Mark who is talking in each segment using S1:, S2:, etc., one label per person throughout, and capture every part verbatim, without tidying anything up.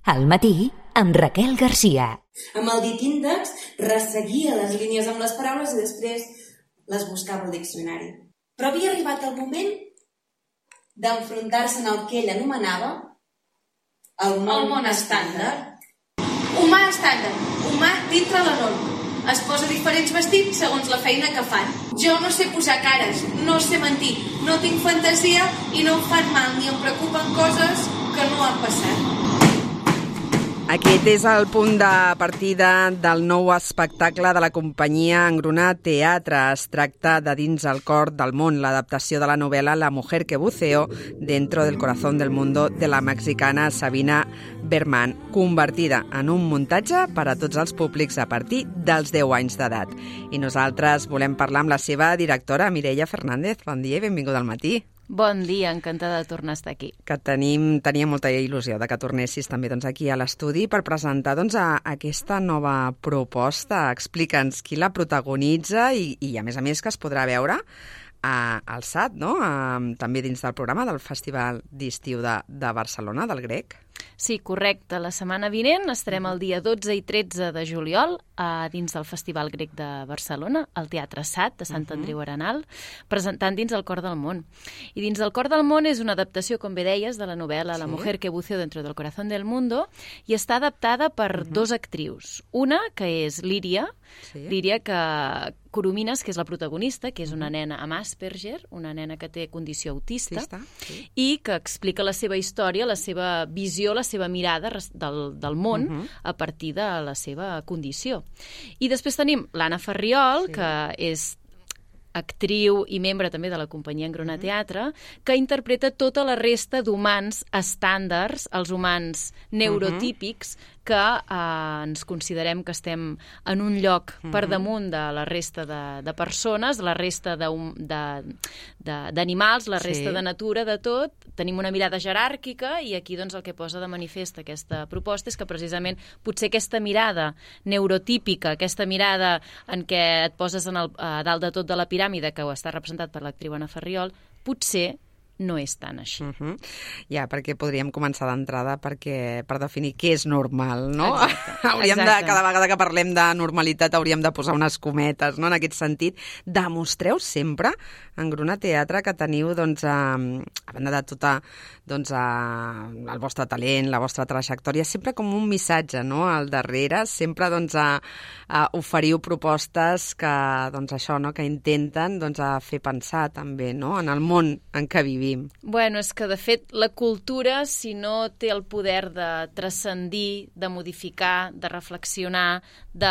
S1: Al matí, amb Raquel Garcia.
S2: Amb el dit índex resseguia les línies amb les paraules i després les buscava al diccionari. Però havia arribat el moment d'enfrontar-se en el que ell anomenava el món,
S3: el món estàndard. Humà estàndard, humà dintre la norma. Es posa diferents vestits segons la feina que fan. Jo no sé posar cares, no sé mentir, no tinc fantasia i no em fan mal ni em preocupen coses que no han passat.
S4: Aquest és el punt de partida del nou espectacle de la companyia Engruna Teatre. Es tracta de Dins el cor del món, l'adaptació de la novel·la La mujer que buceó dentro del corazón del mundo de la mexicana Sabina Berman, convertida en un muntatge per a tots els públics a partir dels deu anys d'edat. I nosaltres volem parlar amb la seva directora, Mireia Fernández. Bon dia i benvinguda al matí.
S5: Bon dia, encantada de tornar a estar aquí.
S4: Que tenim, tenia molta il·lusió de que tornessis també doncs, aquí a l'estudi per presentar doncs, a, aquesta nova proposta. Explica'ns qui la protagonitza i, i a més a més que es podrà veure a, al S A T, no? A, també dins del programa del Festival d'Estiu de, de Barcelona, del Grec.
S5: Sí, correcte. La setmana vinent estarem el dia dotze i tretze de juliol a dins del Festival Grec de Barcelona, al Teatre S A T de Sant Andreu Arenal, presentant Dins el cor del món. I Dins el cor del món és una adaptació, com bé deies, de la novel·la La mujer que buceó dentro del corazón del mundo i està adaptada per uh-huh. dos actrius. Una, que és Líria, sí. Líria que Coromines, que és la protagonista, que és una nena amb Asperger, una nena que té condició autista, sí, està, sí. i que explica la seva història, la seva visió, la seva mirada del, del món uh-huh. a partir de la seva condició. I després tenim l'Anna Farriol, sí. que és actriu i membre també de la companyia Engruna Teatre, que interpreta tota la resta d'humans estàndards, els humans neurotípics, uh-huh. que eh, ens considerem que estem en un lloc uh-huh. per damunt de la resta de, de persones, la resta d'animals, la resta sí. de natura, de tot. Tenim una mirada jeràrquica i aquí doncs, el que posa de manifest aquesta proposta és que precisament potser aquesta mirada neurotípica, aquesta mirada en què et poses en el, a dalt de tot de la piràmide, que ho està representat per l'actriu Anna Farriol, potser no és tan així. Uh-huh.
S4: Ja, perquè podríem començar d'entrada perquè per definir què és normal, no?
S5: Exacte.
S4: hauríem
S5: Exacte.
S4: de, cada vegada que parlem de normalitat hauríem de posar unes cometes, no? En aquest sentit, demostreu sempre en Engruna Teatre que teniu, doncs, a, a banda de tota doncs, a, el vostre talent, la vostra trajectòria, sempre com un missatge, no?, al darrere, sempre doncs, a, a oferiu propostes que, doncs, això, no?, que intenten doncs, a fer pensar també, no?, en el món en què vivim.
S5: Bueno, és que, de fet, la cultura, si no té el poder de transcendir, de modificar, de reflexionar, de,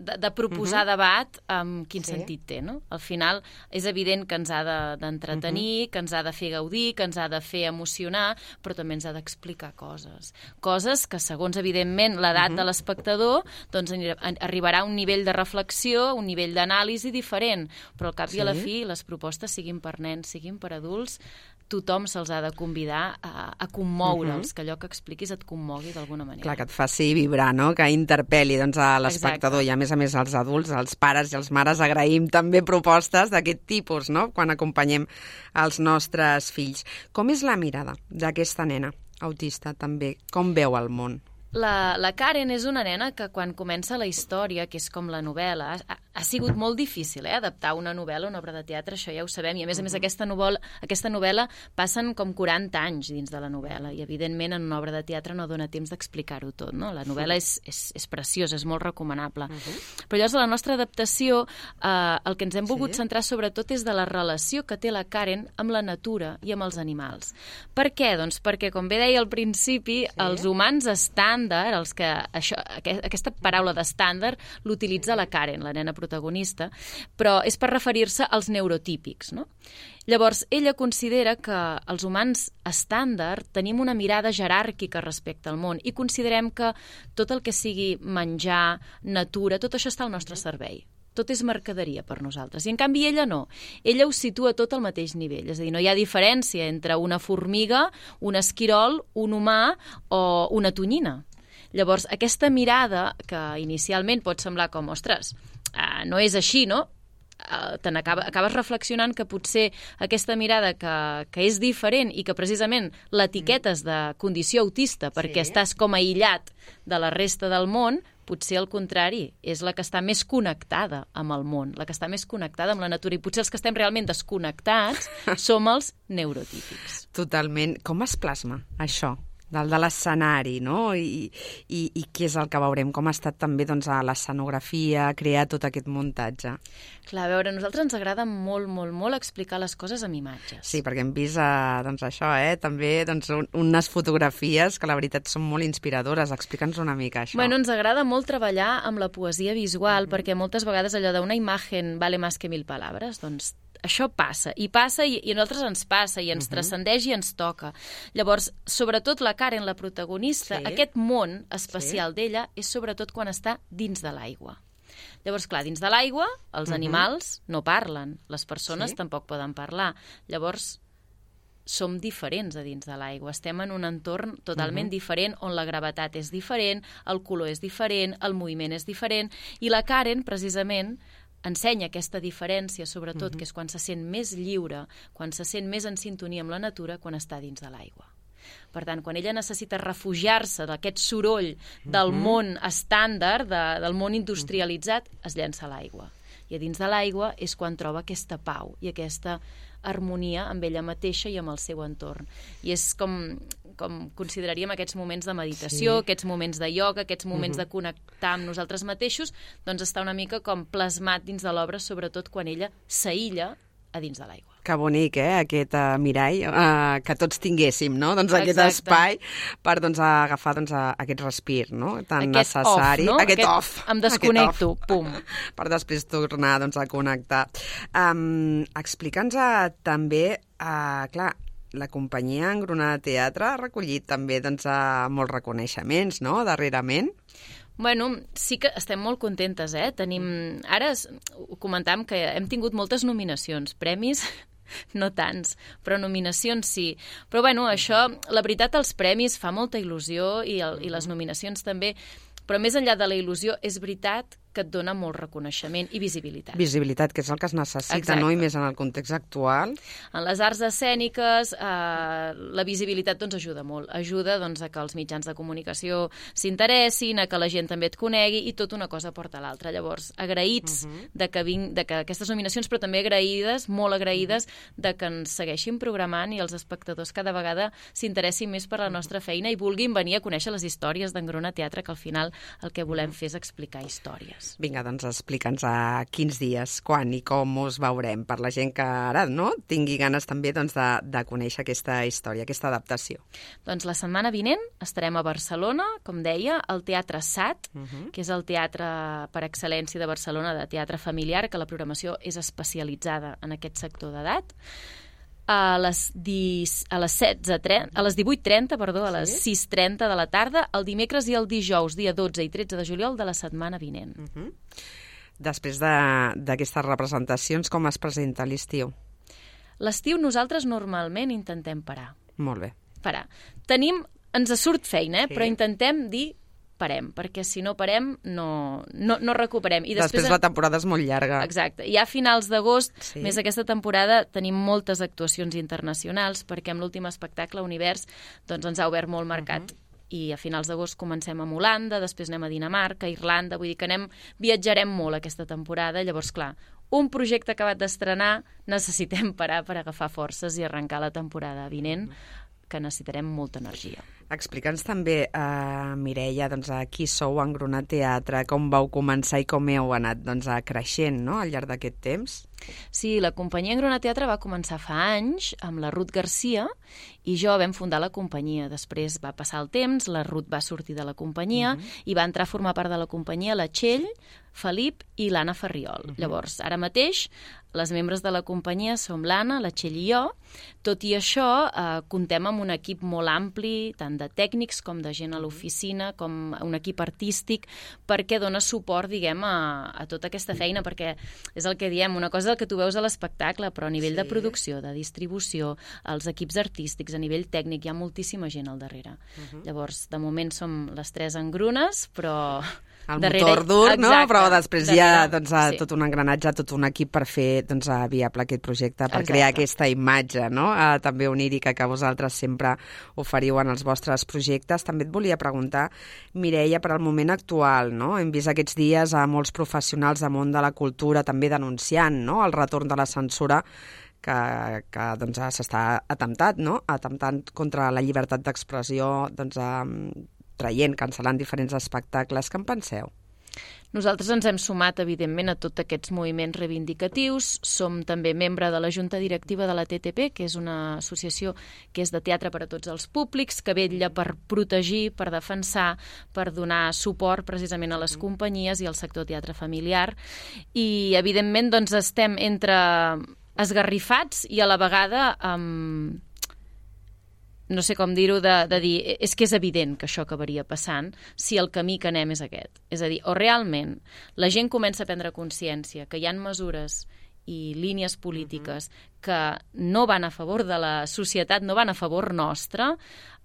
S5: de, de proposar uh-huh. debat, um, quin sí. sentit té, no? Al final, és evident que ens ha d'entretenir, de, uh-huh. que ens ha de fer gaudir, que ens ha de fer emocionar, però també ens ha d'explicar coses. Coses que, segons, evidentment, l'edat uh-huh. de l'espectador, doncs arribarà a un nivell de reflexió, un nivell d'anàlisi diferent, però al cap sí. i a la fi, les propostes, siguin per nens, siguin per adults, tothom se'ls ha de convidar a, a commoure'ls, uh-huh. que allò que expliquis et commogui d'alguna manera.
S4: Clar, que et faci vibrar, no?, que interpel·li doncs, a l'espectador. I a més a més als adults, als pares i als mares agraïm també propostes d'aquest tipus, no?, quan acompanyem els nostres fills. Com és la mirada d'aquesta nena autista també? Com veu el món?
S5: La, la Karen és una nena que quan comença la història, que és com la novel·la, ha, ha sigut molt difícil, eh, adaptar una novel·la a una obra de teatre, això ja ho sabem, i a més a més aquesta novel·la, aquesta novel·la passen com quaranta anys dins de la novel·la, i evidentment en una obra de teatre no dona temps d'explicar-ho tot, no? La novel·la és, és, és preciosa, és molt recomanable. Uh-huh. Però llavors a la nostra adaptació eh, el que ens hem volgut sí. centrar sobretot és de la relació que té la Karen amb la natura i amb els animals. Per què? Doncs perquè, com bé deia al principi, sí. els humans estan els que això, aquesta paraula d'estàndard l'utilitza la Karen, la nena protagonista, però és per referir-se als neurotípics, no? Llavors, ella considera que els humans estàndard tenim una mirada jeràrquica respecte al món i considerem que tot el que sigui menjar, natura, tot això està al nostre servei. Tot és mercaderia per nosaltres. I, en canvi, ella no. Ella ho situa tot al mateix nivell. És a dir, no hi ha diferència entre una formiga, un esquirol, un humà o una tonyina. Llavors, aquesta mirada, que inicialment pot semblar com, ostres, eh, no és així, no? eh, te n'acaba- acabes reflexionant que potser aquesta mirada que, que és diferent i que precisament l'etiquetes de condició autista perquè
S4: Sí.
S5: estàs com aïllat de la resta del món, potser al contrari, és la que està més connectada amb el món, la que està més connectada amb la natura, i potser els que estem realment desconnectats som els neurotípics.
S4: Totalment. Com es plasma això? Del de l'escenari, no? I, i, I què és el que veurem? Com ha estat també doncs, a l'escenografia, crear tot aquest muntatge?
S5: Clar, a veure, a nosaltres ens agrada molt, molt, molt explicar les coses amb imatges.
S4: Sí, perquè hem vist eh, doncs això, eh? també doncs, un, unes fotografies que la veritat són molt inspiradores. Explica'ns una mica això.
S5: Bueno, ens agrada molt treballar amb la poesia visual, mm-hmm. perquè moltes vegades allò d'una imagen vale más que mil palabres, doncs això passa, i passa, i, i a nosaltres ens passa, i ens uh-huh. transcendeix i ens toca. Llavors, sobretot la Karen, la protagonista,
S4: sí.
S5: aquest món especial
S4: sí.
S5: d'ella és sobretot quan està dins de l'aigua. Llavors, clar, dins de l'aigua, els uh-huh. animals no parlen, les persones sí. tampoc poden parlar. Llavors, som diferents a dins de l'aigua. Estem en un entorn totalment uh-huh. diferent, on la gravetat és diferent, el color és diferent, el moviment és diferent, i la Karen, precisament, ensenya aquesta diferència, sobretot, uh-huh. que és quan se sent més lliure, quan se sent més en sintonia amb la natura, quan està dins de l'aigua. Per tant, quan ella necessita refugiar-se d'aquest soroll del uh-huh. món estàndard, de, del món industrialitzat, es llença a l'aigua. I a dins de l'aigua és quan troba aquesta pau i aquesta harmonia amb ella mateixa i amb el seu entorn. I és com, com consideraríem aquests moments de meditació, sí. aquests moments de ioga, aquests moments uh-huh. de connectar amb nosaltres mateixos, doncs està una mica com plasmat dins de l'obra, sobretot quan ella s'aïlla a dins de l'aigua.
S4: Que bonic, eh, aquest uh, mirall uh, que tots tinguéssim, no? Doncs aquest
S5: Exacte.
S4: espai per doncs, agafar doncs, aquest respir, no? Tan
S5: aquest
S4: necessari.
S5: Off, no?
S4: Aquest,
S5: aquest
S4: off.
S5: Em desconnecto,
S4: off.
S5: pum.
S4: Per després tornar doncs, a connectar. Um, Explica'ns uh, també, uh, clar, la companyia Engronada Teatre ha recollit també doncs, uh, molts reconeixements, no?, darrerament.
S5: Bueno, sí que estem molt contentes, eh? Tenim... Ara ho comentàvem que hem tingut moltes nominacions, premis no tants, però nominacions sí. Però bueno, això, la veritat, els premis fa molta il·lusió i, el, i les nominacions també, però més enllà de la il·lusió, és veritat que et dona molt reconeixement i visibilitat.
S4: Visibilitat, que és el que es necessita,
S5: Exacte.
S4: no? I més en el context actual.
S5: En les arts escèniques, eh, la visibilitat doncs, ajuda molt. Ajuda doncs, a que els mitjans de comunicació s'interessin, a que la gent també et conegui, i tot una cosa porta a l'altra. Llavors, agraïts uh-huh. de, que vinc, de que aquestes nominacions, però també agraïdes, molt agraïdes, uh-huh. de que ens segueixin programant i els espectadors cada vegada s'interessin més per la nostra feina i vulguin venir a conèixer les històries d'Engruna Teatre, que al final el que volem fer és explicar històries.
S4: Vinga, doncs explica'ns a quins dies, quan i com us veurem, per la gent que ara no tingui ganes també doncs, de, de conèixer aquesta història, aquesta adaptació.
S5: Doncs la setmana vinent estarem a Barcelona, com deia, al Teatre S A T, uh-huh. que és el teatre per excel·lència de Barcelona, de teatre familiar, que la programació és especialitzada en aquest sector d'edat. A les, dis, a les setze trenta, a les divuit trenta, perdó, a les
S4: sí?
S5: sis trenta de la tarda, el dimecres i el dijous, dia dotze i tretze de juliol de la setmana vinent.
S4: Uh-huh. Després d'aquestes de, representacions, com es presenta l'estiu?
S5: L'estiu nosaltres normalment intentem parar.
S4: Molt bé.
S5: Parar. Tenim, ens surt feina, eh?
S4: Sí.
S5: Però intentem dir parem, perquè si no parem no, no, no recuperem. I després,
S4: després la temporada és molt llarga.
S5: Exacte. I a finals d'agost,
S4: sí.
S5: més aquesta temporada, tenim moltes actuacions internacionals, perquè amb l'últim espectacle, Univers, doncs ens ha obert molt mercat. Uh-huh. I a finals d'agost comencem amb Holanda, després anem a Dinamarca, Irlanda, vull dir que anem, viatjarem molt aquesta temporada. Llavors, clar, un projecte acabat d'estrenar, necessitem parar per agafar forces i arrencar la temporada vinent, que necessitarem molta energia.
S4: Explica'ns també, uh, Mireia, doncs, a qui sou Engronat Teatre, com vau començar i com heu anat doncs, creixent, no?, al llarg d'aquest temps.
S5: Sí, la companyia Engronat Teatre va començar fa anys amb la Ruth Garcia i jo vam fundar la companyia. Després va passar el temps, la Ruth va sortir de la companyia uh-huh. i va entrar a formar part de la companyia la Txell, Felip i l'Anna Ferriol. Uh-huh. Llavors, ara mateix, les membres de la companyia som l'Anna, la Txell i jo. Tot i això, eh, comptem amb un equip molt ampli, tant de tècnics com de gent a l'oficina, com un equip artístic, perquè dona suport, diguem, a, a tota aquesta feina, perquè és el que diem, una cosa és el que tu veus a l'espectacle, però a nivell sí. de producció, de distribució, els equips artístics, a nivell tècnic, hi ha moltíssima gent al darrere. Uh-huh. Llavors, de moment som les tres engrunes, però
S4: el
S5: darrere...
S4: motor dur,
S5: Exacte,
S4: no? Però després hi ha
S5: darrere,
S4: doncs,
S5: sí.
S4: tot un engranatge, tot un equip per fer doncs, viable aquest projecte, per
S5: Exacte.
S4: crear aquesta imatge, no? Eh, també onírica que vosaltres sempre oferiu en els vostres projectes. També et volia preguntar, Mireia, per al moment actual, no? Hem vist aquests dies a molts professionals del món de la cultura també denunciant, no?, el retorn de la censura que, que doncs, s'està atemptat, no?, atemptant contra la llibertat d'expressió, doncs, eh, traient, cancel·lant diferents espectacles. Què en penseu?
S5: Nosaltres ens hem sumat, evidentment, a tots aquests moviments reivindicatius. Som també membre de la Junta Directiva de la T T P, que és una associació que és de teatre per a tots els públics, que vetlla per protegir, per defensar, per donar suport precisament a les companyies i al sector teatre familiar. I, evidentment, doncs, estem entre esgarrifats i a la vegada amb... no sé com dir-ho, de, de dir, és que és evident que això acabaria passant si el camí que anem és aquest. És a dir, o realment la gent comença a prendre consciència que hi ha mesures i línies polítiques que no van a favor de la societat, no van a favor nostre,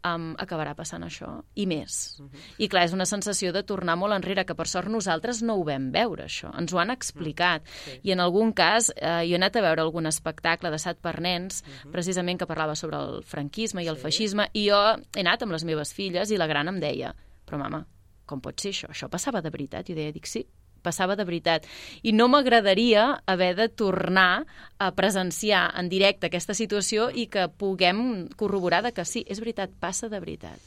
S5: um, acabarà passant això, i més. Uh -huh. I clar, és una sensació de tornar molt enrere, que per sort nosaltres no ho vam veure, això. Ens ho han explicat. Uh -huh. I en algun cas, eh, jo he anat a veure algun espectacle de Sat per nens, uh -huh. precisament que parlava sobre el franquisme i el sí. feixisme, i jo he anat amb les meves filles i la gran em deia, però mama, com pot ser això? Això passava de veritat? I jo deia, dic, sí, passava de veritat. I no m'agradaria haver de tornar a presenciar en directe aquesta situació i que puguem corroborar de que sí, és veritat, passa de veritat.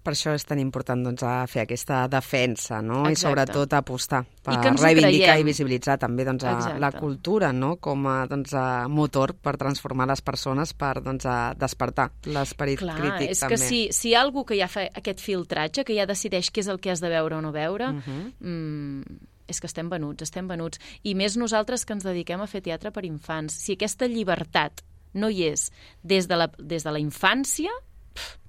S4: Per això és tan important doncs, a fer aquesta defensa, no?
S5: Exacte.
S4: I sobretot apostar per
S5: I
S4: reivindicar i visibilitzar també doncs, a la
S5: Exacte.
S4: cultura, no?, com a, doncs, a motor per transformar les persones, per doncs, a despertar l'esperit
S5: Clar,
S4: crític
S5: és
S4: també.
S5: que si, si hi ha algú que ja fa aquest filtratge, que ja decideix què és el que has de veure o no veure, uh-huh. mm, és que estem venuts, estem venuts. I més nosaltres que ens dediquem a fer teatre per infants. Si aquesta llibertat no hi és des de la, des de la infància... Pff.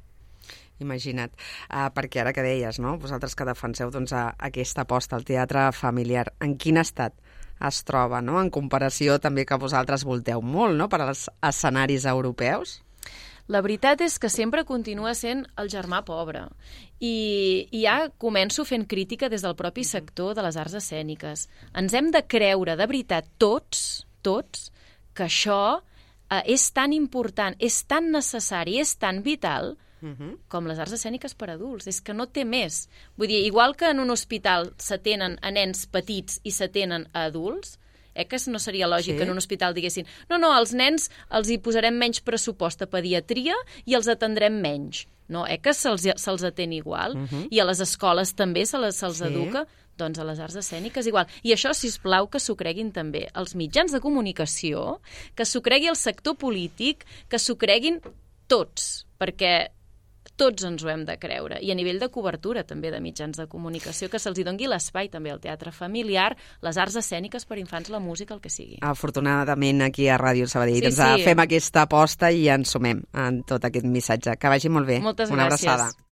S4: Imagina't, uh, perquè ara que deies, no?, vosaltres que defenseu doncs, a, aquesta aposta al teatre familiar, en quin estat es troba, no?, en comparació també que vosaltres volteu molt, no?, per als escenaris europeus?
S5: La veritat és que sempre continua sent el germà pobre. I, i ja començo fent crítica des del propi sector de les arts escèniques. Ens hem de creure de veritat tots, tots, que això eh, és tan important, és tan necessari, és tan vital uh-huh. com les arts escèniques per adults. És que no té més. Vull dir, igual que en un hospital s'atenen a nens petits i s'atenen a adults, eh, que no seria lògic sí. que en un hospital diguessin no, no, als nens els hi posarem menys pressupost a pediatria i els atendrem menys. No, eh, que se'ls se atén igual. Uh-huh. I a les escoles també se'ls se sí. educa, doncs a les arts escèniques igual. I això, sisplau, que s'ho creguin també els mitjans de comunicació, que s'ho cregui el sector polític, que s'ho creguin tots, perquè tots ens ho hem de creure. I a nivell de cobertura també de mitjans de comunicació, que se'ls doni l'espai també al teatre familiar, les arts escèniques per infants, la música, el que sigui.
S4: Afortunadament aquí a Ràdio Sabadell
S5: sí,
S4: doncs,
S5: sí.
S4: fem aquesta aposta i ens sumem en tot aquest missatge. Que vagi molt bé.
S5: Moltes
S4: Una
S5: gràcies.
S4: abraçada.